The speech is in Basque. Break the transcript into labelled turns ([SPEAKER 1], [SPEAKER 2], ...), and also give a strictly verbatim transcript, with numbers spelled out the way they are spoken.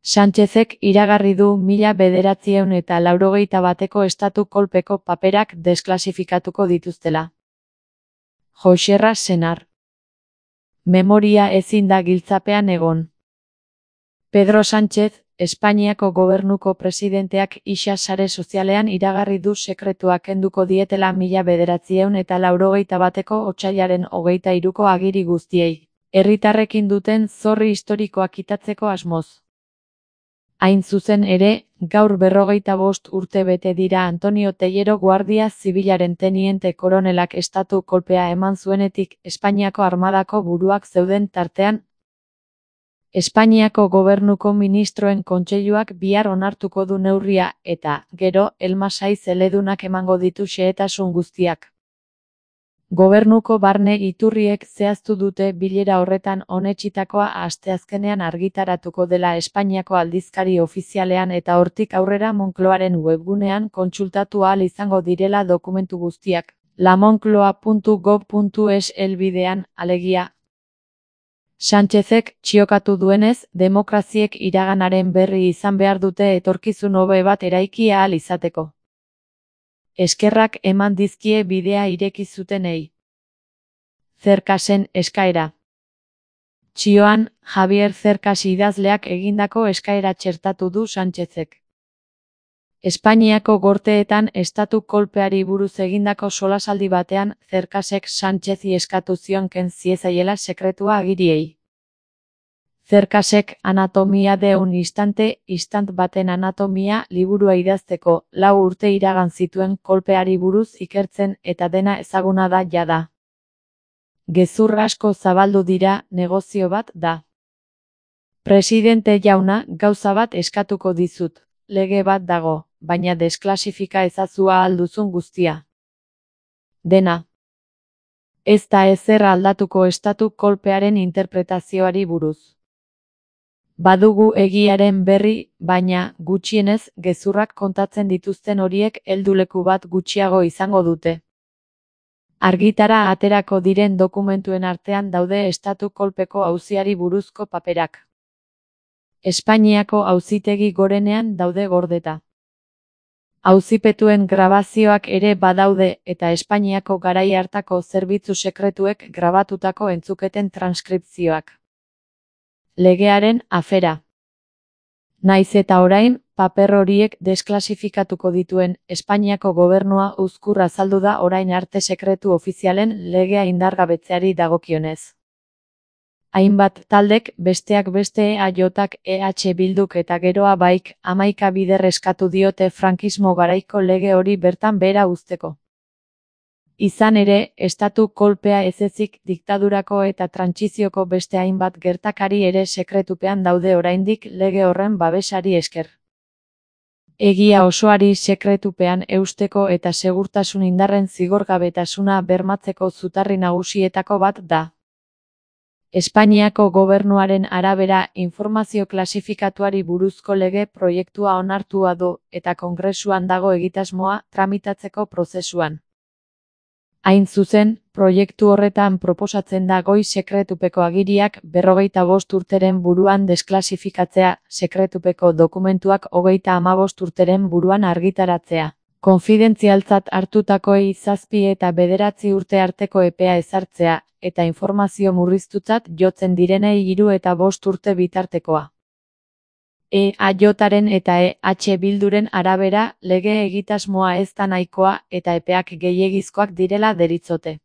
[SPEAKER 1] Sánchezek iragarri du mila bederatziehun eta laurogeita bateko estatu kolpeko paperak desklasifikatuko dituztela. Joxerra senar. Memoria ezin da giltzapean egon. Pedro Sánchez, Espainiako gobernuko presidenteak isa sare sozialean iragarri du sekretua kenduko dietela mila bederatziehun eta laurogeita bateko otsailaren hogeita hiruko agiri guztiei, herritarrekin duten zorri historikoa kitatzeko asmoz. Hain zuzen ere, gaur berrogeita bost urte bete dira Antonio Tellero Guardia Zibilaren teniente koronelak estatu kolpea eman zuenetik Espainiako armadako buruak zeuden tartean. Espainiako gobernuko ministroen kontseiluak bihar onartuko du neurria eta, gero, elmasai zeledunak emango ditu xehetasun guztiak. Gobernuko barne iturriek zehaztu dute bilera horretan onetsitakoa asteazkenean argitaratuko dela Espainiako aldizkari ofizialean eta hortik aurrera Moncloaren webgunean kontsultatu ahal izango direla dokumentu guztiak, lamoncloa puntu gob puntu es helbidean, alegia. Sánchezek txiokatu duenez, demokraziek iraganaren berri izan behar dute etorkizun hobe bat eraiki ahal izateko. Eskerrak eman dizkie bidea ireki zutenei. Zerkasen eskaera. Txioan, Javier Zerkas idazleak egindako eskaera txertatu du Sánchezek. Espainiako gorteetan estatu kolpeari buruz egindako solasaldi batean, Zerkasek Sánchezi eskatu zion ken ziezaiela sekretua agiriei. Zerkasek Anatomia de un instante, istant baten anatomia liburua idazteko, lau urte iragan zituen kolpeari buruz ikertzen eta dena ezaguna da jada. Gezur asko zabaldu dira, negozio bat da. Presidente jauna, gauza bat eskatuko dizut, lege bat dago, baina desklasifika ezazua alduzun guztia. Dena. Ez da ezer aldatuko estatu kolpearen interpretazioari buruz. Badugu egiaren berri, baina, gutxienez, gezurrak kontatzen dituzten horiek helduleku bat gutxiago izango dute. Argitara aterako diren dokumentuen artean daude estatu kolpeko auziari buruzko paperak. Espainiako auzitegi gorenean daude gordeta. Auzipetuen grabazioak ere badaude eta Espainiako garai hartako zerbitzu sekretuek grabatutako entzuketen transkripzioak. Legearen afera. Naiz eta orain, paper horiek desklasifikatuko dituen Espainiako gobernua uzkur azaldu da orain arte sekretu ofizialen legea indargabetzeari dagokionez. Hainbat taldek besteak beste E A J-ak E H Bilduk eta geroa baik hamaika bider eskatu diote frankismo garaiko lege hori bertan behera uzteko. Izan ere, estatu kolpea ez ezik diktadurako eta trantsizioko beste hainbat gertakari ere sekretupean daude oraindik lege horren babesari esker. Egia osoari sekretupean eusteko eta segurtasun indarren zigorgabetasuna bermatzeko zutarri nagusietako bat da. Espainiako gobernuaren arabera informazio klasifikatuari buruzko lege proiektua onartua du eta Kongresuan dago egitasmoa tramitatzeko prozesuan. Hain zuzen, proiektu horretan proposatzen da goi sekretupeko agiriak berrogeita bost urteren buruan desklasifikatzea, sekretupeko dokumentuak hogeita hamabost urteren buruan argitaratzea. Konfidentzialtzat hartutakoei zazpi eta bederatzi urte arteko epea ezartzea, eta informazio murriztutzat jotzen direnei hiru eta bost urte bitartekoa. E A J-aren eta E H Bilduren arabera, lege egitasmoa ez da nahikoa eta epeak gehiegizkoak direla deritzote.